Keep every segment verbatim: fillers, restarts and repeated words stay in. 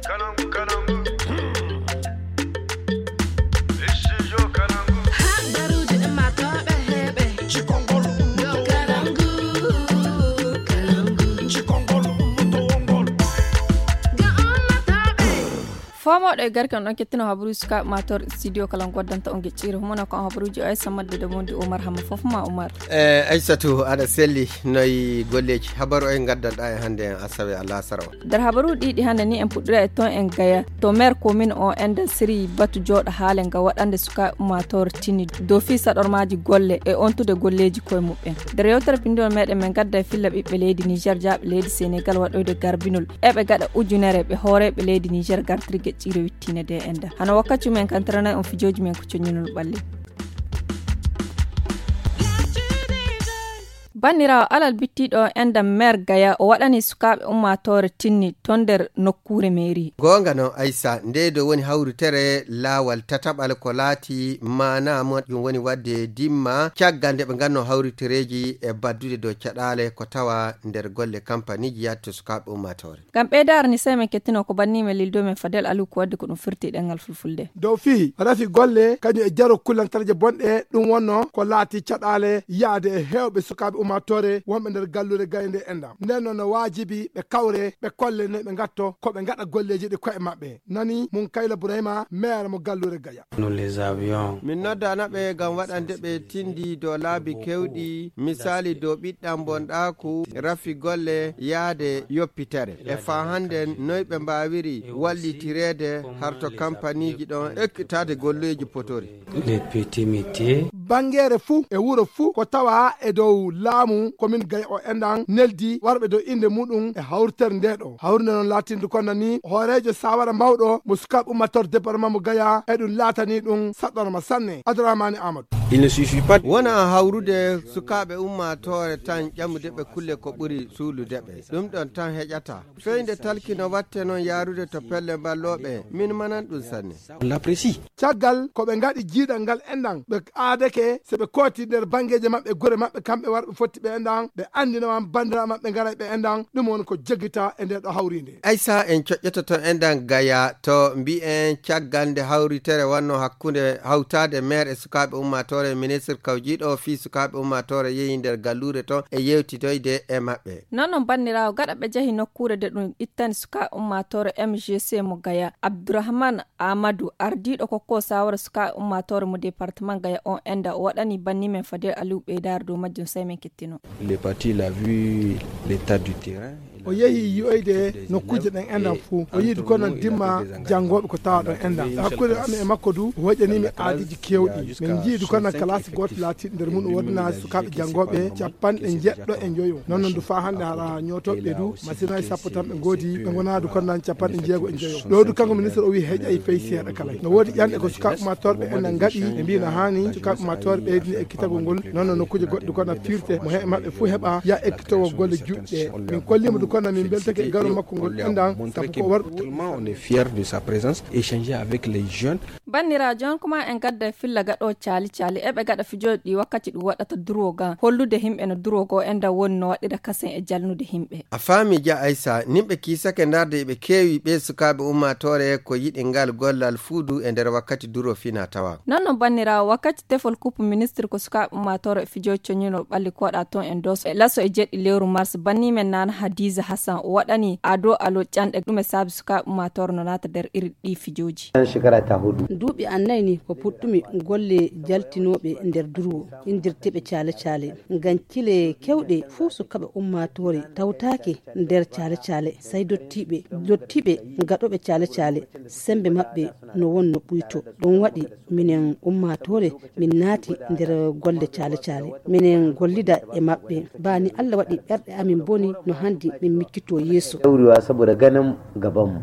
Habaruuji ɗin maa tooɓe heeɓe. Cikongol ɗo Kalangu, Kalangu. Cikongol ɗum towongol. Ga ummatooɓe. Fomooɗo e garke on ɗon kettino habaruuji sukaaɓe maa tooɓe studio Kalangu waddanta on gecciri. Humana ko on habaruuji o Aissa Madde de Mondi Oumar Hamma fof ma Oumar. E Aissatu, aɗa selli, noy golleeji? Habaru oye ngaddanɗa e hannde en asawe alasara o? Nder habaruuji ɗiɗi hannde ni, en puɗɗira e toon en Gaya, to maire commune o enda siri batu jooɗo haale nga waɗande sukaaɓe ummaatoore tinni dow fii saɗormaaji golle e ontude golleeji koye muɓɓen. Nder yewtere binndol meɗen, men gadda e filla ɓiɓɓe leydi Niger jaaɓe leydi Senegal waɗoyde garbinol eɓe gaɗa ujunere ɓe hooreeɓe leydi Niger gartiri geƴƴiire wittiine de enda. Hano wakkati men kantiranay on fijooji men ko coñinol ɓalli. Banniraawo alal bittiiɗo o endam maire Gaya o waɗani sukaaɓe ummaatoore tinni ton nder nokkuure mairie. Goonga noon Aissa, nde ɗo woni hawritere laawal tataɓal ko laati maanaa majjum woni waɗde dimma caggal nde ɓe nganno hawritereeji e baddude dow caɗaale ko tawa nder golle kampaniiji yahde to sukaaɓe ummaatoore. Ngam ɓeydaare ni sey men kettino ko banni men lildo men Fadel Aliou ko wadde ko ɗum firti e ɗemngal fulfulde. Dow fii rafi golle kañum e jaro kullantarje bonɗe ɗum wonno ko laati caɗaale yahde e heewɓe sukaaɓe ummaatoore wonɓe nder galluure Gaya nde endam. Nden noon no waajibi ɓe kawre ɓe kolle no ɓe ngatto ko ɓe ngaɗa golleeji ɗi koye maɓɓe. Nani Munkayla Burayma, maire mo galluure Gaya. Min noddaana ɓe ngam waɗande ɓe tinndi dow laabi keewɗi, misaali dow ɓiɗɗam bonɗaaku, rafi golle, yahde yoppitere. E faa hannden noy ɓe mbaawiri wallitireede harto kampaniiji ɗon ekkitaade golleeji potori. Banngeere fuu e wuro fuu ko tawa e dow laamu komin Gaya o enɗan neldi warɓe dow innde muɗum e hawritere nde ɗo. Hawrinde noon laatindu kono ni hooreejo saawara mawɗo mo sukaaɓe ummaatoore département mo Gaya e ɗum laatani ɗum saɗɗorma sanne. Adramani Amadou. Wona hawrude sukaaɓe ummaatoore tan ƴamude ɓe kulle ko ɓuri suulude ɓe. Ɗum ɗon tan heƴata. Feyde talki no watte noon yaarude to pelle mballooɓe, min manan ɗum sanne. Caggal ko ɓe ngaɗi jiidal ngal enɗan, ɓe aadake so ɓe kooti nder banngeeji maɓɓe, gure maɓɓe, kamɓe warɓe fotti ɓe enɗan, ɓe anndina wan banndiraaɓe maɓɓe ngaray ɓe enɗan, ɗum woni ko jogita e nde ɗo hawriinde. Aysa en coƴƴoto toon enɗan Gaya to mbiyen caggal nde hawritere wanno hakkunde hawtaade maire e sukaaɓe ummaatoore, ministre kawjiiɗo fii sukaaɓe ummaatoore yehi nder galluure toon e yewtidoyde e maɓɓe. Non non banndiraawo, gaɗa ɓe jahi nokkuure de ɗum ittani sukaaɓe ummaatoore M G C mo Gaya, Abdourahmane Amadou, ardiiɗo kokko saawara sukaaɓe ummaatoore mo département Gaya on enda o waɗani banni men Fadel Aliou ɓeydaare dow majjum, sey men kettino. Il est parti, il a vu l'état du terrain. O yehi yi'oyde nokkuuje ɗen enɗan fuu. O yiidi kono dimma janngooɓe ko tawa ɗon enɗan. Hakkunde amen e makko du, o hoƴƴanii mi aadiiji keewɗi. Min njii du kono kalaasi gooto laatiiɗo nder mum o woodani sukaaɓe janngooɓe capanɗe njeɗɗo e njoyo. Non non du faa hannde hara ñootooɓe ɓe du, masinaji sappo tan ɓe ngoodi, ɓe ngonaa du kono nan capanɗe njeego e njoyo. Ɗo du kanko ministre o wii heƴay fey seeɗa kala. No woodi ƴanɗe ko sukaaɓe ummaatoore ɓe enɗan ngaɗi, ɓe mbii na haani sukaaɓe ummaatoore ɓeydini ekkitagol ngol. Non non nokkuuje goɗɗe du kono firte mo he maɓɓe fuu heɓa ya ekkitowol golle juutɗe. Min kolliima du kono min mbeltake e garol makko ngol enɗan, sabu ko war- Tellement on est fier de sa présence, échanger avec les jeunes. Banndiraajo, on kuma en gadda e filla gaɗo caali caali eɓe gaɗa fijooji ɗi wakkati ɗum waɗata durwo ga, hollude himɓe no durwo goo enɗan woni no waɗira kasen e jalnude himɓe. A faami ja Aysa, nimɓe kiisake ndarde eɓe keewi ɓe sukaaɓe ummaatoore ko yiɗi ngal gollal fuu du e nder wakkati durwo fina tawa. Non non banndiraawo, wakkati tefol kuppu ministre ko sukaaɓe ummaatoore e fijooji coñinol ɓalli koɗa toon e Doso e laso e jeɗɗi lewru mars, banni men Nana Hadiza Hassan o waɗani Ado Alo ƴanɗe ɗum e saabi sukaaɓe ummaatoore no naata nder iri ɗi fijooji. Duuɓi an nayi ni ko puɗɗumi golle jaltinooɓe nder durwo, inndirteeɓe caale caale. Ngam kile kewɗe fuu sukaaɓe ummaatoore tawtaake nder caale caale, sey dottiiɓe, dottiiɓe gaɗooɓe caale caale, semmbe maɓɓe no wonno ɓuyto. Ɗum waɗi minen ummaatoore min naati nder golle caale caale. Minen gollida e maɓɓe. Baa ni Alla waɗi ɓerɗe amin mboni no hanndi min miccitoo yeeso. Daurewa saboda ganin gabanmu.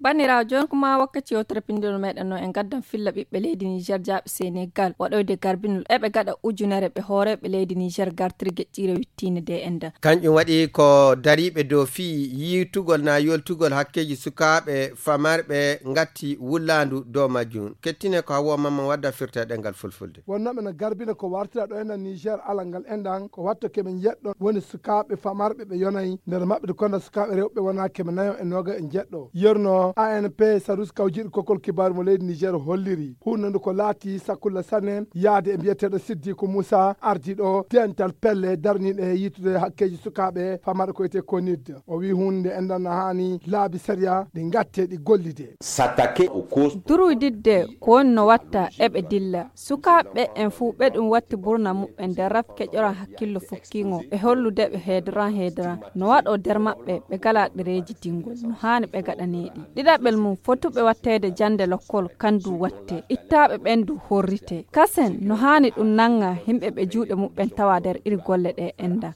Banndiraawo, jooni ko maa wakkati yewtere pinndol meɗen no en gaddan filla ɓiɓɓe leydi Niger jaaɓe Senegal waɗoyde garbinol eɓe gaɗa ujunere ɓe hooreeɓe leydi Niger gartiri geƴƴiire wittiinde de enda. Kanƴum waɗi ko dariiɓe dow fii yiitugol naa yoltugol hakkeeji sukaaɓe famarɓe ngatti wullaandu dow majjum. Kettine ko Hawwa Mamman wadda firta e ɗemngal fulfulde. Wonnooɓe no garbina ko wartira ɗo enda Niger alal ngal endan ko watto keɓe njeɗɗo woni sukaaɓe famarɓe ɓe yonayi nder maɓɓe de konda sukaaɓe rewɓe wona keɓe nayo e nooga e njeɗɗo. Yerno A N P Sarus kawjiɗo kokol kibaaru mo leydi Niger holliri huunandu ko laati sakkulla sanne yaade e mbiyeteeɗo Siddiku Musa ardiiɗo dental pelle darniiɗe yiitude hakkeeji sukaaɓe famarɓe ko wiyetee konid. O wii huunde endan no haani laabi sariya ɗi ngatte ɗi gollide. S'attaquer aux causes. Durwididde ko woni no watta eɓe dilla. Sukaaɓe ɓen fuu ɓe ɗum watti burna muɓɓen nder raf keƴoran hakkillo fukkiingo ɓe hollude ɓe heedoran heedoran. No waɗoo nder maɓɓe ɓe galaa ɗereeji dingol no haani ɓe gaɗaneeɗi. Ɗiɗaɓel mum fotuɓe watteede jannde lokkol kan du watte. Ittaaɓe ɓen du horrite. Kasen no haani ɗum nannga yimɓe ɓe juuɗe muɓɓen tawa nder iri golle ɗe enda.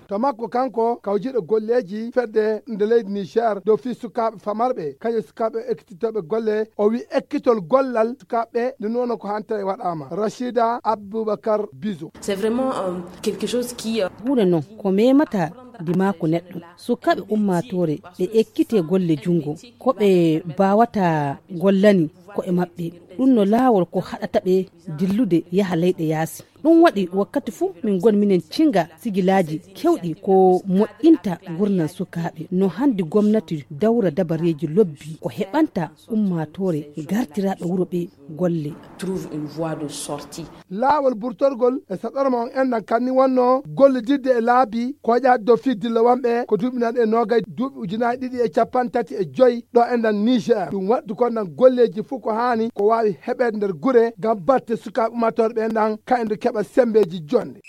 To makko kanko kawjiɗo golleeji fedde nde leydi Niger dow fii sukaaɓe famarɓe kañum sukaaɓe ekkititooɓe golle o wi ekkitol gollal sukaaɓe nde nuwono ko hantere waɗaama. Rachida Aboubacar Bizo. C'est vraiment quelque chose qui huunde non ko memata ndimaaku neɗɗo. Sukaaɓe ummaatoore ɓe ekkite golle junngo ko ɓe mbaawata gollani ko'e maɓɓe. Ɗum no laawol ko haɗata ɓe dillude yaha leyɗe yaasi. Ɗum waɗi wakkati fuu min ngoni minen cinnga sigilaaji keewɗi ko moƴƴinta ngurndan sukaaɓe no hanndi gomnati dawra dabareeji lobbi ko heɓanta ummaatoore gartiraaɓe wuro ɓe golle. Trouve une voie de sortie. Laawol burtorgol e saɗorma on enɗan kanni wonno gollididde e laabi koƴaaɗi dow fii dillowanɓe ko duuɓi nanɗe e noogay duuɓi ujunaaji ɗiɗi e cappanɗe tati e joy ɗo enɗan Niger. Ɗum waɗdu kon ɗan golleeji fuu ko haani ko waawi heɓeede nder gure ngam batte sukaaɓe ummaatooɓe ɓen ɗan kañum keɓa semmbeeji jonnde.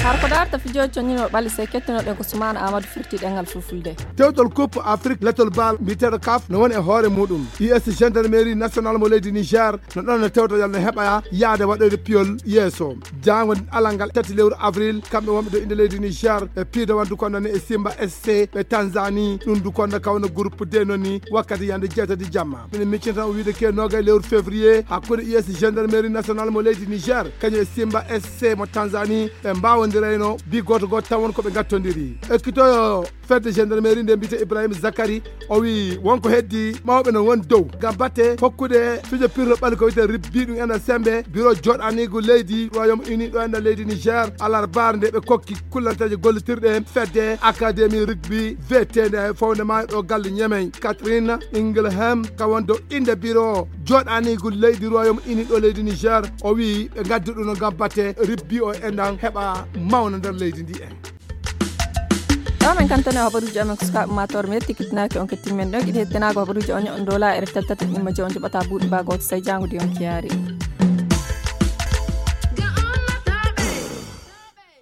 Har ko daarta fijooji conñinoo ɓalli sey kettinooɗen ko Sumaana Aamadu firti ɗemngal fulfulde. Tewtol Coupe Afrique letol baal mbiyeteeɗo kaf no woni e hoore muuɗum. U S gendarmerie nationale mo leydi Niger no ɗon no tewtoyal no heɓa yaade waɗoyde piyol yeeso. Jaango alal ngal tati lewru avril kamɓe wonɓe dow innde leydi Niger ɓe piido wondu ko nani e Simba S C ɓe Tanzanie ɗum du konda kawno groupe D noni wakkati yande jeetati jamma. Ina miccita o wiide ke noga e lewru février hakkunde U S gendarmerie nationale mo leydi Niger kañum e Simba S C mo Tanzanie ɓe mbaawondirayno bi gooto gooto tawon ko ɓe ngattondiri. Ekkitoyo fedde gendarmerie nde mbiyete Ibrahima Zakari o wi wonko heddi mawɓe no won dow ngam batte hokkude fijo pirlo ɓalli ko wiyete ribbi ɗum ena sembe biro joɗanigo leydi Royaume Uni ɗo ena leydi Niger alarbar nde ɓe kokki kullanteeje gollitirɗe fedde académie rugby veteende e fawde ma ɗo galle ñemey Catherine Ingelham ka won dow innde biro joɗanigo leydi Royaume Uni ɗo leydi Niger o wi ɓe ngaddi ɗum no ngam batte ribbi o enɗan heɓa mawna nder leydi ndi en. Ɗo men kantane habaruji amen ko sukaaɓe matore mi yetti kittinaaki on kettin men ɗon iɗi hettinaago habaruji on ñoɗon dola e reftal tati ɗimma je on joɓata buuɗi ba gooto sey jangude on kiyaari.